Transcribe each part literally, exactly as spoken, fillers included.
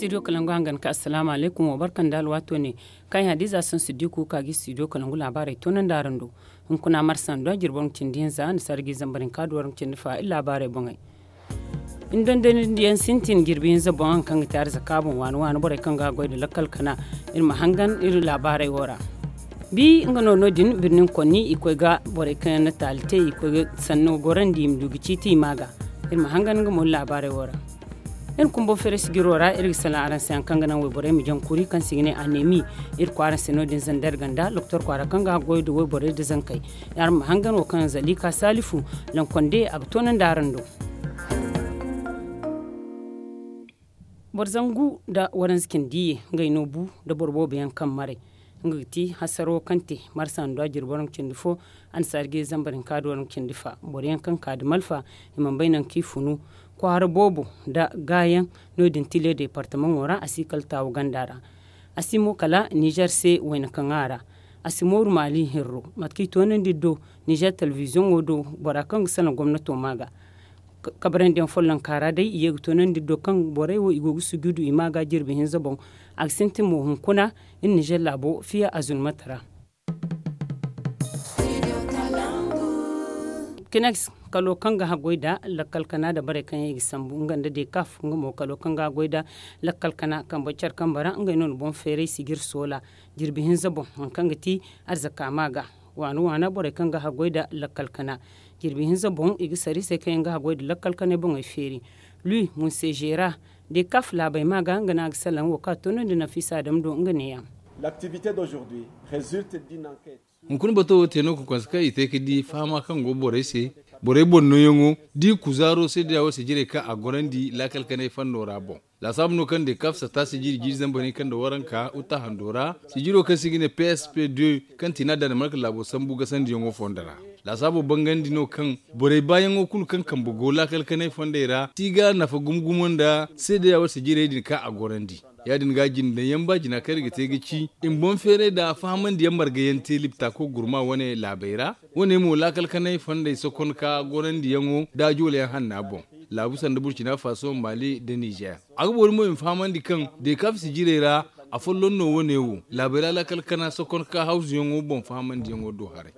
Studio kalangu hangan ka assalaamu alaykum wo barka nda alwaato ne. Kaŋ ay hadiza sansu di kuuka ga studio kalangu laabaarey toonandi araŋ do. Hunkuna marsa nda jirbi waranka cindi hinza ni sargi zambar hinka da waranka cindi fa iri laabaarey boŋey. Ni dondonandiyaŋ sintin jirbi hinza boŋ haŋ kaŋ ga te arzaka boŋ waani waani borey kaŋ ga goy nda lakkal kana. Iri ma hangan iri laabaarey wo ra. Bi nga no no- din birnin konni i koy ga borey kaŋ yaŋ na taali te i koy ga sanno gorandi i ma du ga ciiti i ma ga. Iri ma hangan nga mo ni laabaarey wo ra. Iri kumbo feere sijiro ra iri ga salaŋ araŋ se haŋ kaŋ ga naŋ wayborey ma jaŋ kuri kaŋ se i ga ne anemi. Iri kwaara se no- din zandar ganda loktor kwaara kaŋ ga goy nda wayborey nda zankey. Araŋ ma hangan wo kaŋ zalika salifu lankonde a ga toonandi araŋ do. Boro zangu nda waranza cindi ye ngey no bu nda boro boobo yaŋ kaŋ maray. Nga ga ti hasaro kaŋ te marsa nda jirbi waranka cindi fo annasaari ga zambar hinka nda waranka cindi fa boro yaŋ kaŋ ka nda malfa. I mana bay nangu kaŋ i funu kwaara boobo nda gaayaŋ. No- din tile deepartamaŋo ra a si kala taawu ganda ra. A si mo kala nizer se wayna kaŋ a ra. A si mooru maali hirro mate kaŋ i toonandi do nizer telebiziyoŋo do bora kaŋ ga salaŋ gomnato ma ga. Kabarandiyaŋ follonka ra day i ye ga toonandi do kaŋ borey wo i go ga sujudu i ma ga jirbi hinza boŋ. A ga sintin mo hunkuna iri nizer laabo fiya azulmata ra. Kineks kalo kaŋ ga haggoy nda lakkal kana nda borey kaŋ yaŋ i ga sambu nga nda dekaf nga mo kalo kaŋ ga haggoy nda lakkal kana kambe care kambe ra ngey no na boŋ feeray sijir soola. Jirbi hinza boŋ hari kaŋ ga ti arzaka ma ga waana waana borey kaŋ ga haggoy nda lakkal kana. Jirbi hinza boŋ i ga sara i se kaŋ yaŋ ga haggoy nda lakkal kanay boŋey feeri. Lui munsejera dekaf laabey ma ga nga no a ga salaŋ wo kaŋ a toonandi nafiisa dam do nga neeyaŋ. Hunkuna bato wo te no ga konse kaŋ i te ga di fahama kaŋ go borey se borey boŋ nooyaŋo da i kuzaaro se da yawo se jirey kaŋ a gorandi laakal kanay fondo ra boŋ. Laasaabu no kaŋ dekaf satta sijiri jiiri zambar hinka nda waranka uta hando ra sijiro kaŋ se i ga ne p s p deux kaŋ ti no a daanimarka laabo sambu gasandiyaŋo fondo ra. Laasaabo bangandi no kaŋ borey baayaŋo kulu kaŋ kambe go laakal kanay fondey ra ti ga nafa gumo gumo nda seedeya wala sijirey din kaŋ a gorandi. Ya- din ga jinde yaŋ ba jina kaŋ iri ga te ga ci i ma boŋ feeray nda fahamandiyaŋ marga yaŋ te libta koy gurma wane laabey ra. Wane mo laakal kanay fondey sokon ka gorandiyaŋo nda joolayaŋ hanna boŋ. Laabu sanda burcina faso mali nda nizer a ga boori mo i ma fahamandi kaŋ dekaf sijirey ra afolloŋ no wane wo laabey ra laakal kana sokon ka hawzuyaŋo boŋ fahamandiyaŋo do haray.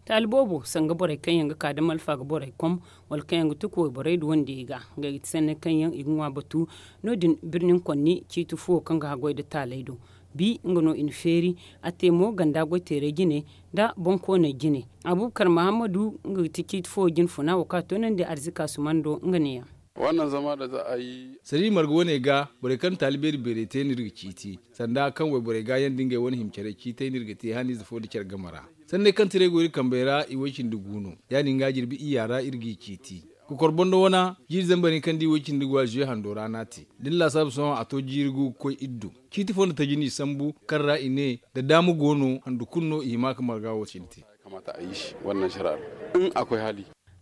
Taali boobo sanga borey kaŋ yaŋ ga ka da malfa ga borey kom wala kaŋ yaŋ ga tuku wayborey da wandiyey ga ngey ga ti sanney kaŋ yaŋ i ga ŋwa batu. No- din birnin konni ciiti fuwo kaŋ ga haggoy nda taaley do. Bi nga no i na feeri a te mo ganda goyteerey jine nda boŋkooney jine. Abubakar mahammadu nga ga ti ciiti fuwo jinfuna wo kaŋ a toonandi arzika sumando nga neeyaŋ. Sariya marga wane ga borey kaŋ taali beeri beerey te no iri ga ciiti sanda kaŋ wayborey ga yaŋ da ngey wane hima care ciitey no iri ga te haniize fo nda care game ra. Sanney kaŋ tiray go iri kambey ra i way-cindi gu no. Ya- din ga jirbi iyya ra iri g'i ciiti. Kokor bondo wana jiiri zambar hinka nda i way-cindi gu a zuye hando ra no a te da ni laasaabu sohõ a to jiiri gu ga koy iri do. Ciiti fo nda taji no i sambu kaŋ ra i ne da daama go no handu kulu no i hima ga marga wo cine te.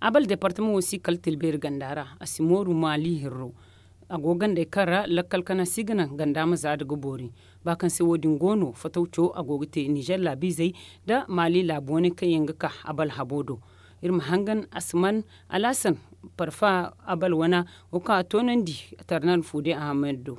Abal deepartamaŋo si kala tilbeeri ganda ra a si mooru maali hirro. A go ga gandey kaŋ ra lakkal kana si ga naŋ ganda ma zaada ga boori. Ba kaŋ se wo- din go no fatawco a go ga te nizer laabiizey nda maali laabu wane kaŋ yaŋ ga ka abal habo do. Iri ma hangan asman alhasan parfa abal wana wo kaŋ a toonandi tarnal fuude ahamad do.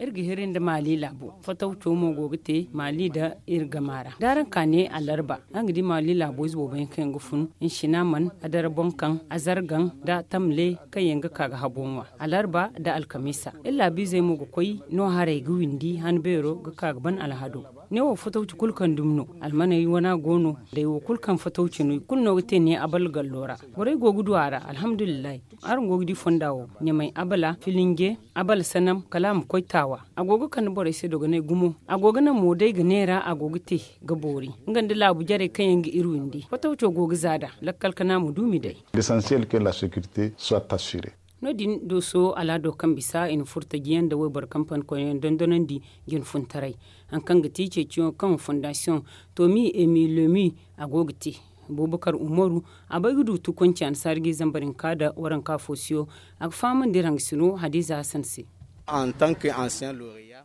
Iri ga hiri nda maali laabo fatawco mo go ga te maali nda iri gama ra da araŋ ka ne alarba araŋ ga di maali laabo ize boobo yaŋ kaŋ yaŋ ga fun nsina man adara boŋ kaŋ azargaŋ nda tamle kaŋ yaŋ ga ka ga habo ŋwa alarba nda alkamiisa. Iri laabiizey mo ga koy no haray ga windi han beero ga ka ga ban alhado. Ne wo fatawci kulu kaŋ dumi no almaney wana go no. Day wo kulu kaŋ fatawci no i kulu no ga te ne abal gallo ra. Borey go ga du a ra alhamdulillahi. Araŋ go ga di fonda wo ɲamay abala filinje abala sanam kala a ma koy taawa. A go ga kande borey se dogonay gumo a go ga naŋ mo day ga neera a go ga te ga boori. Nga nda laabu jarey kaŋ yaŋ ga iri windi fatawco go ga za da lakkal kana ma duumi day. L'essentiel que la sécurité soit assurée. No- din dooso alaado kaŋ bisa i na furtajiyaŋ nda wayboro kampani koyyaŋ dondonandi jinfuntaray. Hari kaŋ ga ti ceeciyaŋo kaŋ fondasiyoŋ tomi emilemi a go ga te. Bubakar umaru a bay ga du tukonci annasaari ga i zambar hinka nda waranka foosiyo. A ga fahamandi iri hangasino hadiza hasan se.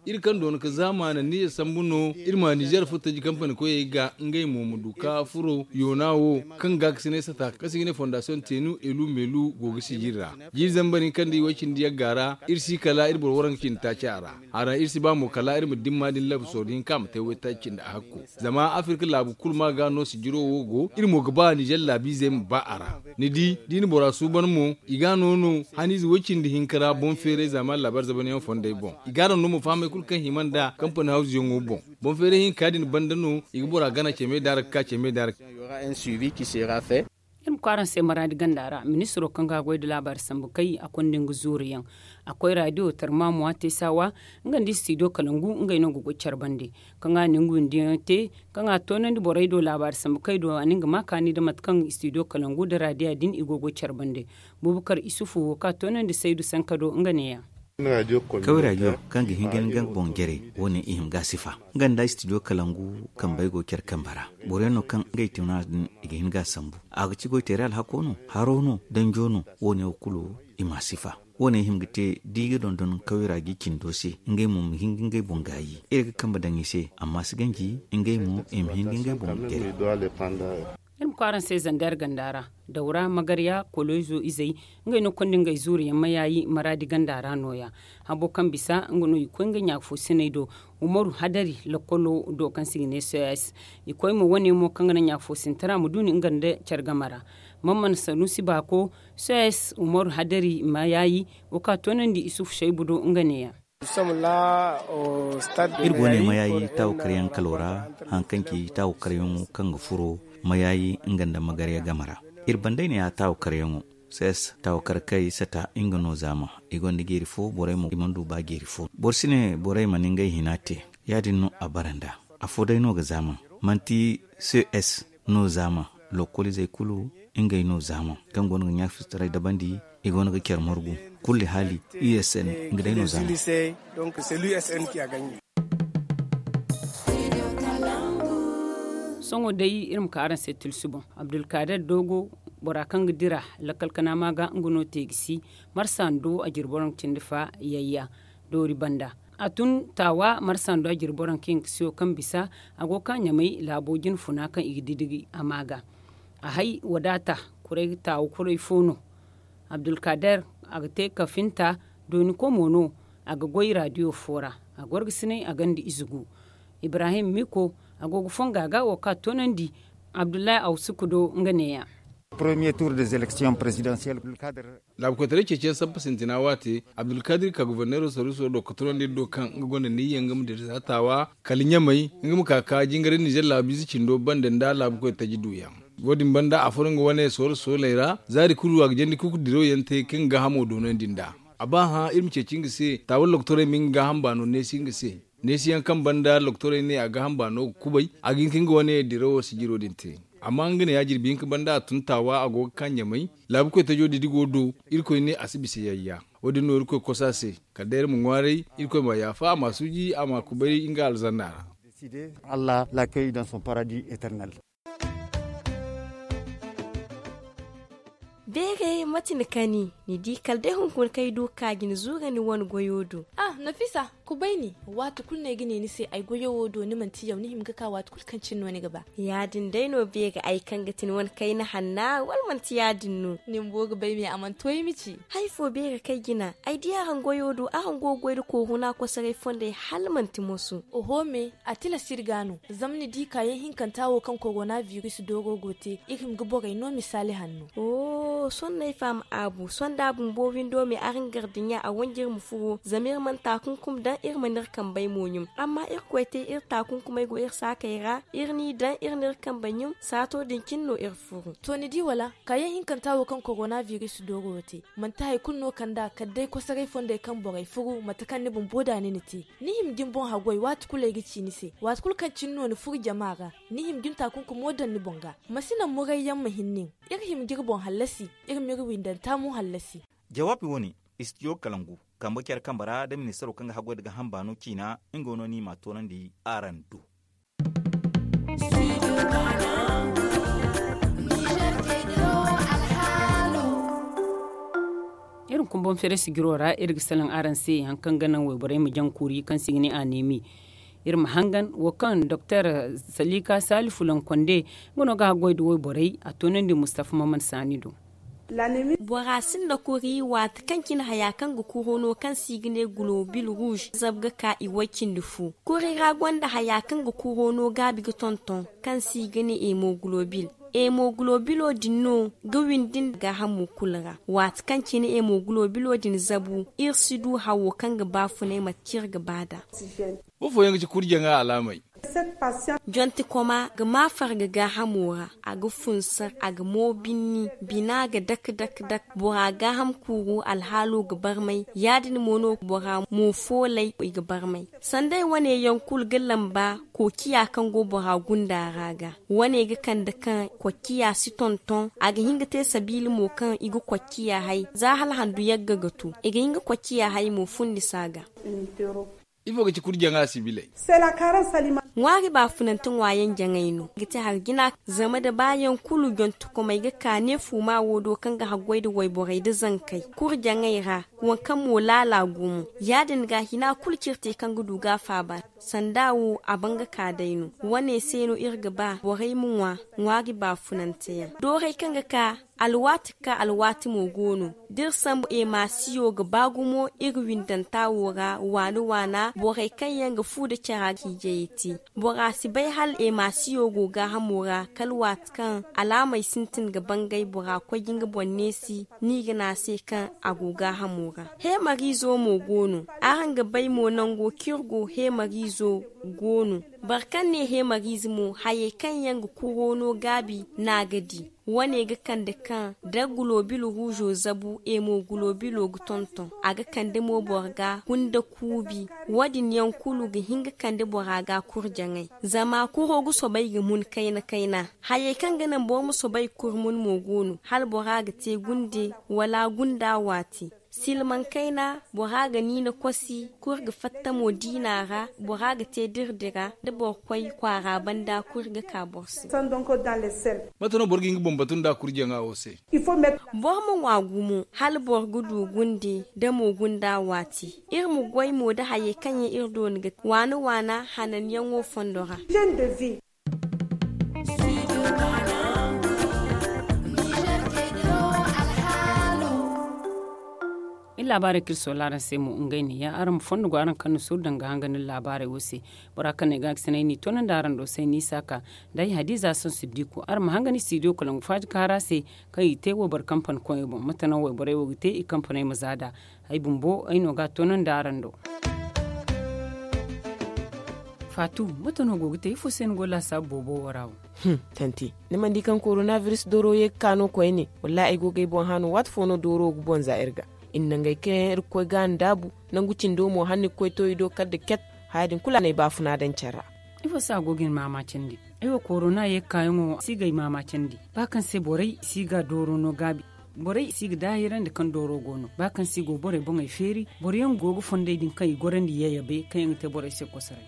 Iri kaŋ doona ka zaamaana niize sambu no iri ma nizeer furo taji kampani koyey ga ngey mo ma du ka furo yoona wo kaŋ ga ga si ne sata kaŋ se i ga ne fondasiyoŋ teenu elu meelu go ga sijiri ra. Jiiri zambar hinka nda i way cindi yagga ra iri si kala iri boro waranka cindi taaci a ra. A ra iri si ba mo kala iri ma dimma din labu sorro hinka a ma te waytaaci cindi a hakko. Zama afirka laabu kulu ma ga no sijiro wo go iri mo ga ba nizeer laabiizey ma ba a ra. Ni di da i na bora suuban mo i ga a no no haniize way cindi hinka ra boŋ feeray zaamaani laabaari zabanyaŋ fondey boŋ. I ga a daŋ no mo fahamey kulu kaŋ hima nda kampani hawzuyaŋo boŋ. Boŋ feeray hinka din banda no i ga bora gana ceme daara ga ka ceme daara. Iri ma koy araŋ se maraadi ganda ra ministiro kaŋ ga goy nda laabaari sambu kay a konda nga zuuru yaŋ. A koy raadiyo tarmamuwa te saawa nga nda istidiyo kalangu ngey no ga goy care bande. Kaŋ a na nga windiyaŋ te kaŋ a toonandi borey do laabaari sambu kay do a na nga ma kaani nda mate kaŋ istidiyo kalangu nda raadiya din i go goy care bande. Bubakar isufu wo kaŋ a toonandi saydu sanka do nga neeya. Kaway raadiyo kaŋ ga hin ga ni ga boŋ jare wo- ne i hima ga a sifa. Nga nda istidiyo kalangu kambey go care kambe ra. Boro yaŋ no kaŋ ngey tuna din i ga hin ga a sambu. A ga ci goy teeray alhako no, haro no, danjo no, wo- ne wo kulu i ma a sifa. Wo- ne i hima ga te da i ga dondon kaway ra ga i cindo se ngey mo ma hin ga ngey boŋ gaayi. Iri ga kambe daŋ i se amma si ganji ngey mo i ma hin ga ngey boŋ jare. Iri ma koy araŋ se zander ganda ra, dawra magarya koloyzo izey, ngey no konda ngey zuuru yaŋ mayaayi maraadi ganda ra nooya. Habo kaŋ bisa nga no i koy nga ɲaafo siney do, umaru hadari lakkolo do kaŋ se i ga ne soyas. I koy mo wane mo kaŋ ga naŋ ɲaafo sintara ma duuni nga nda care game ra. Mammana sanusi baako, soyas umaru hadari mayaayi, wo kaŋ a toonandi isufu saybu do nga neeya. Iri go ne mayaayi taawo karyaŋ kalo ra, haŋ kaŋ ci taawo karyaŋo kaŋ ga furo mayaayi nga nda magarya game ra. Iri bandey ne ya taawo karyaŋo. Ses taawo kar kay sata nga no zaama. I gonda jeeri fo borey mo i mana du ba jeeri fo boro si ne borey mana ngey hina te. Ya- din no a bara nd'a. Afo day no ga zaama. Manti ces no zaama. Lokoliizey kulu ngey no zaama kaŋ go no ga ɲaafizitaray dabandi. I go no ga care margu. Kulli haali usn nga day no zaama. Sohõ day iri ma ka araŋ se tilsi boŋ. Abdulkader dogo, bora kaŋ ga dira lakkal kanaama ga nga no te ga si. Marsa ndo a jirboraŋ cindi fa yayya doori banda. A tun taawa marsa ndo a jirboraŋ kaŋ yaŋ ga siyo kaŋ bisa. A go ga ka ɲamay laabo jine funa kaŋ i ga didigi a ma ga. A hay wadaata kuray taawa kuray fo no. Abdulkader, a ga te kafinta dooni komo no. A ga goy raadiyo fo ra. A gorgasinay a gonda ize gu. Ibrahim miko, a go ga fonga ga wo kaŋ a toonandi. Abdullahi awsuku do nga neeya. Laabukoytaray ceeciyaŋ sabba sintina waate abdulkadir ka goborneero sooruso do ka tunandi iri do kaŋ nga gonda niyya nga ma dira za taawa kala ɲamay. Nga ma ka ka jingaray nizer laabiize cindo banda nda laabukoy taji duuyaŋ. Wo- din banda a furo nga wane sooro sooley ra. Zaari kulu a ga jandi kuku diraw yaŋ te kaŋ ga gaahamo doonandi nd'a. A ba hã iri ma ceeci nga se taawa loktorey ma nga gaaham baano neesi nga se. Neesiyaŋ kaŋ banda loktorey ne a gaaham baano ga kubay. A ga hin ka nga wane dirawo sijiro din te. Amma nga ne ya jirbi hinka banda a tun taawa a go ga ka ɲamay. Laabukoy tajo didi go do. Irkoy ne a si bisa yayya. Wo- din no irkoy kosa se. Kala day iri ma ŋwaaray irkoy ma yaafa a ma suuji a ma kubay nga alzanna ra. Allah la kay dans son paradis eternel. Beeray mate ni kani? Ni di kala day hunkuna kaŋ ay du ga ka ga ni zuura ni wane goyo do. Ah nafisa, kubay ni. Waati kulu no ay ga ne ni se ay goyo wo do ni manti yaw ni hima ga ka waati kulu kaŋ cine no ni ga ba. Ya- din day no beeray ay kaŋ ga ti ni wane kayna hanna wala manti ya- din no? Ni bumbo ga bay me a mana to ay ma ci. Hari fo beeray kaŋ ay jina ay di araŋ goyo do araŋ go ga goy nda korona kosoray fondey hala manti moso. Oho me, a tilas iri ga no. Zama ni di kaayaŋ hinkanta wo kaŋ korona biris dooro go te iri hima ga borey no misaali hanno. Oho sohõ no ay faham aabu sohõ da a bumbo windo me araŋ gardiɲa a wanji iri ma furo zama iri mana taakunkum daŋ iri mana iri kambey mo ɲum. Amma irkoy te iri taakunkumey go iri saakey ra. Iri n'i daŋ iri n'iri kambey ɲum saato din cine no iri furu. To ni di wala? Kaayaŋ hinkanta wo kaŋ korona biris dooro te manti hari kulu no kand'a kala day kosoray fondey kaŋ borey furu mate kaŋ ni bumbo da ni na te. Ni hima ga ni boŋ haggoy waati kulu ay ga ci ni se waati kulu kaŋ cine no ni furu jama ra. Ni hima ga ni taakunkumo daŋ ni boŋ ga. Ma si naŋ murayyaŋ ma hin nin. Iri hima ga iri boŋ hallasi. Iri ma iri windanta mo hallasi. Jawaabi wo- ne, istidiyo kalangu kambe care kambe ra nda ministaro kaŋ ga haggoy nda gaaham baano ciina. Nga no no i m'a toonandi araŋ do. Iri ma kumbaŋ feere sijiro ra iri ga salaŋ araŋ se hari kaŋ ga naŋ wayborey ma jaŋ kuuri kaŋ se i ga ne anemi. Iri ma hangan wo kaŋ doktor salika salifu lankonde nga no ga haggoy nda wayborey a toonandi mustafa maman saani do. Bora sinda kuri waati kaŋ cine haya kaŋ ga kuro no kaŋ se i ga ne gulobil ruuz zabu ga ka i way cindi fu. Kuri ra gonda haya kaŋ ga kuro no gaabi ga tonton kaŋ se i ga ne hemogulobil. Hemogulobilo din no ga windi nda gaahamo kulu ra. Waati kaŋ cine hemogulobilo din zabu iri si du hawo kaŋ ga baafunay mate kaŋ iri ga ba nd'a. Boro fooyaŋ ga ci kurjaŋa alaamey. Jonte koma ga ma farga gaahamo ra, a ga funsar, a ga mo binni, bina ga dak dak dak. Bora gaaham kuuru alhaalo ga barmay. Ya- din mo no bora mo foolay i ga barmay. Sanday wane yaŋ kulu ga lamba koociya kaŋ go bora gunda ra ga. Wane ga kande kaŋ koociya si tonton, a ga hin ga te sabiila mo kaŋ i ga koociya hay za hala handu yagga ga tu. I ga hin ga koociya hay mo fundi se a ga. Ifo ga ci kurjaŋa sibiley? Ŋwaari baafunante ŋwaayaŋ jaŋay no ga te hari jina. Zama da baayaŋ kulu jontokomey ga ka ne fuuma wo do kaŋ ga haggoy nda wayborey nda zankey kurjaŋay ra. Waŋ kaŋ mo laala gumo ya- din ga hina kulu cire te kaŋ ga du ga a faaba. Sanda wo a ban ga ka day no. Wane se no iri ga ba borey ma ŋwa ŋwaari baafunante yaŋ doorey kaŋ ga ka. Alwaati ga ka alwaati mo go no. Da iri sambu emasiyo ga ba gumo iri windanta wo ra waana waana borey kaŋ yaŋ ga fu nda cara ciijey te. Bora si bay hala emasiyo go gaahamo ra kala waati kaŋ alaamey sintin ga bangay bora koy ga nga boŋ neesi. Ni ga ne a se kaŋ a go gaahamo ra. Heemariizo mo go no. Araŋ ga bay mo nango kaŋ iri go heemariizo go no. Boro kaŋ ne heemariize mo hayey kaŋ yaŋ ga kuro no gaabi no a ga di. Wane ga kande kaŋ da gulobil ruuzo zabu hemogulobilo ga tonton a ga kande mo boro ga gunda kuubi. Wo- din yaŋ kulu ga hin ga kande bora ga kurjaŋay. Zama kuro ga soobay ga mun kayna kayna. Hayey kaŋ ga naŋ boro ma soobay ga kuri mun mo go no hala bora ga te gunde wala gunda waati. Silmaŋ kayna bora ga niina kosi kuri ga fatta mo diina ra. Bora ga te dirdira da boro koy kwaara banda kuri ga ka boro se. Mate no boro ga hin ga boŋ batu nda kurjaŋa wo se? Boro ma ŋwa gumo hala boro ga du gunde da mo gunda waati. Iri ma goy mo da hayey kaŋ yaŋ iri doona ga te waana waana hananyaŋo fondo ra. Iri laabaarey kaŋ iri soola araŋ se mo ngey ne ya araŋ ma fondo go araŋ kaŋ na suuru daŋ ga hangan iri laabaarey wo se. Bora kaŋ no ay ga a ga sinay no i toonandi araŋ do se ni saaka nda ay hadiza sansu diiko araŋ ma hangan i si diyo kala nga faaji kaara se. Kaŋ i te wayboro kampani koŋey boŋ mate no wayborey wo ga te i kampaney ma za nd'a. Ay bumbo ay no ga a toonandi araŋ do. Faatu, mate no go ga te ifo se ni go laasaabu boobo wo ra wo? Tanti, ni mana di kaŋ korona biris dooro ye ga ka no koyne? Wallaahi ay go ga ay boŋ hã no waati fo no dooro ga boŋ za iri ga. I na nangey kaŋ yaŋ iri ga koy ga a ndaabu. Nangu cindo mo hala ni ga koy to i do kala nda ket. Haya din kulu a na ay baafuna daŋ care ra. Ifo se a go ga ni maamaacandi? Ay wo korona ye ga kaayaŋo si ga ay maamaacandi ba kaŋ se borey si ga dooro no gaabi. Borey si ga daahirandi kaŋ dooro go no ba kaŋ si go borey boŋey feeri. Boro yaŋ go ga fondey din kaŋ i gorandi yayabe kaŋ yaŋ ga te borey se kosoray.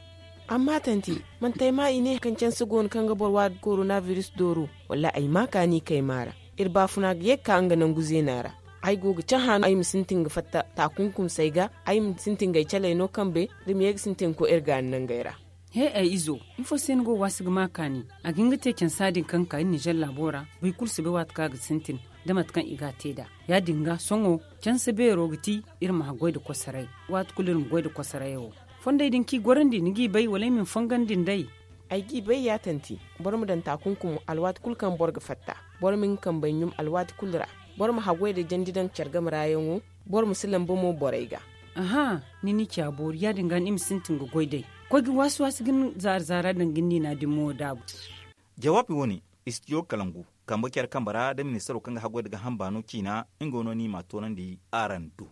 Amma tanti, manti ay ma i ne kaŋ canse go no kaŋ ga boro waadi korona biris dooro? Wallaahi ay ma kaani kay maara. Iri baafuna ga ye ga ka nga nangu zeena ra. Ay go ga cahã no ay ma sintin ga fatta taakunkumsey ga. Ay ma sintin ga ay caley no kambe da ma ye ga sintin ga koy iri gaani nangey ra. He ay izo, ifo se ni go ga waasi ga ma kaani? A ga hin ga te cansa din kaŋ ga ka iri ninzeer laabo ra. Boro kulu si bay waati kaŋ a ga sintin da mate kaŋ i ga a te nd'a. Ya- din ga sohõ canse beero ga ti iri ma haggoy nda kosoray. Waati kulu iri ma goy nda kosorayo. Fondey din kaŋ i gorandi ni g'i bay wala ay ma ni fongandi nd'ey? Ay g'i bay ya tanti. Boro ma daŋ taakunkum alwaati kulu kaŋ boro ga fatta. Boro ma nga kambey ɲum alwaati kulu ra. Boro ma haggoy nda jandi daŋ care game ra yaŋo. Boro ma si lamba mo borey ga. Aha, ni n'i ci a boori ya- din ga ni ma sintin ga goy day. Koy ga waasi waasi ga ni zaara zaara daŋ ga ni niina din mo daabu. Jawaabi wo- ne, istidiyo kalangu kambe care kambe ra da ministaro kaŋ ga haggoy nda gaaham baano ciina. Nga no ni m'a toonandi araŋ do.